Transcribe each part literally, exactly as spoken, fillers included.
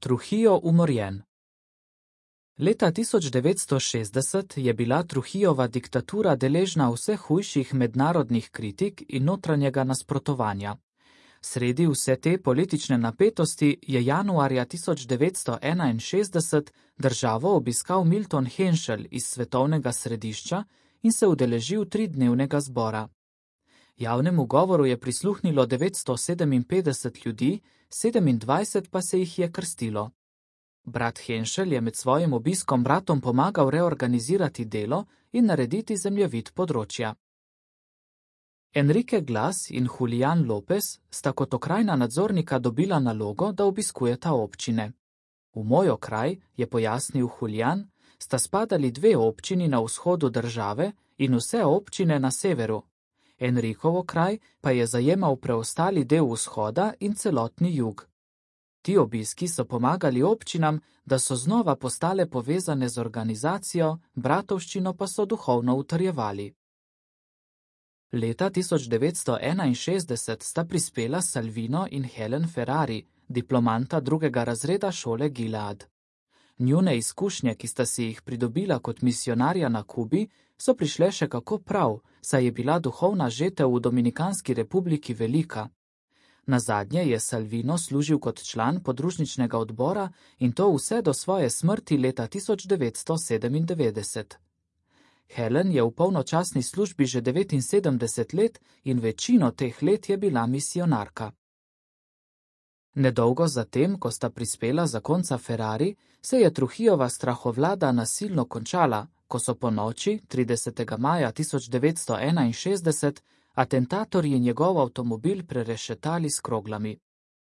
Trujillo umorjen. Leta tisoč devetsto šestdeset je bila Trujillova diktatura deležna vse hujših mednarodnih kritik in notranjega nasprotovanja. Sredi vse te politične napetosti je januarja tisoč devetsto enainšestdeset državo obiskal Milton Henschel iz svetovnega središča in se udeležil tridnevnega zbora. Javnemu govoru je prisluhnilo devetsto sedeminpetdeset ljudi, sedemindvajset pa se jih je krstilo. Brat Henschel je med svojim obiskom bratom pomagal reorganizirati delo in narediti zemljevid področja. Enrique Glas in Julián López sta kot okrajna nadzornika dobila nalogo, da obiskujeta občine. V moj okraj, je pojasnil Julián, sta spadali dve občini na vzhodu države in vse občine na severu. Enrikov okraj pa je zajemal preostali del vzhoda in celotni jug. Ti obiski so pomagali občinam, da so znova postale povezane z organizacijo, bratovščino pa so duhovno utrjevali. Leta tisoč devetsto enainšestdeset sta prispela Salvino in Helen Ferrari, diplomanta drugega razreda šole Gilead. Njune izkušnje, ki sta si jih pridobila kot misijonarja na Kubi, so prišle še kako prav, saj je bila duhovna žetev v Dominikanski republiki velika. Nazadnje je Salvino služil kot član podružničnega odbora in to vse do svoje smrti leta tisoč devetsto sedemindevetdeset. Helen je v polnočasni službi že devetinsedemdeset let in večino teh let je bila misijonarka. Nedolgo zatem, ko sta prispela zakonca Ferrari, se je Trujillova strahovlada nasilno končala, ko so po noči, tridesetega maja tisoč devetsto enainšestdeset, atentatorji njegov avtomobil prerešetali s kroglami.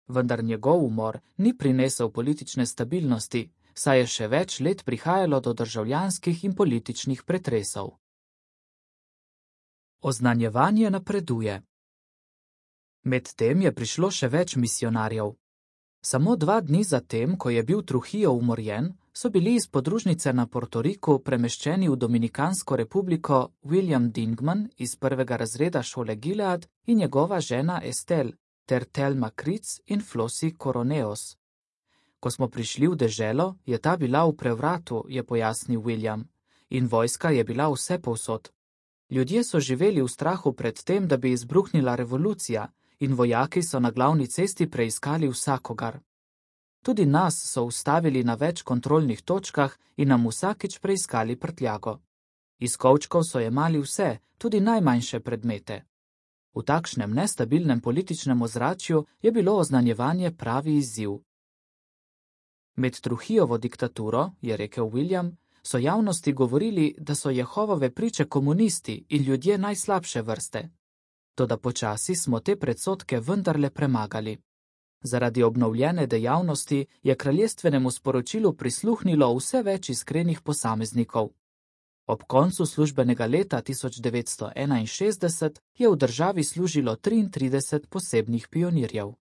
Vendar njegov umor ni prinesel politične stabilnosti, saj je še več let prihajalo do državljanskih in političnih pretresov. Oznanjevanje napreduje. Medtem je prišlo še več misijonarjev. Samo dva dni zatem, ko je bil Trujillo umorjen, so bili iz podružnice na Portoriku premeščeni v Dominikansko republiko William Dingman iz prvega razreda šole Gilead in njegova žena Estelle, ter Thelma Kritz in Flossie Coroneos. Ko smo prišli v deželo, je ta bila v prevratu, je pojasnil William, in vojska je bila vse povsod. Ljudje so živeli v strahu pred tem, da bi izbruhnila revolucija, in vojaki so na glavni cesti preiskali vsakogar. Tudi nas so ustavili na več kontrolnih točkah in nam vsakič preiskali prtljago. Iz kovčkov so jemali vse, tudi najmanjše predmete. V takšnem nestabilnem političnem ozračju je bilo oznanjevanje pravi izziv. Med Trujillovo diktaturo, je rekel William, so javnosti govorili, da so Jehovove priče komunisti in ljudje najslabše vrste. Toda počasi smo te predsodke vendarle premagali. Zaradi obnovljene dejavnosti je kraljestvenemu sporočilu prisluhnilo vse več iskrenih posameznikov. Ob koncu službenega leta tisoč devetsto enainšestdeset je v državi služilo triintrideset posebnih pionirjev.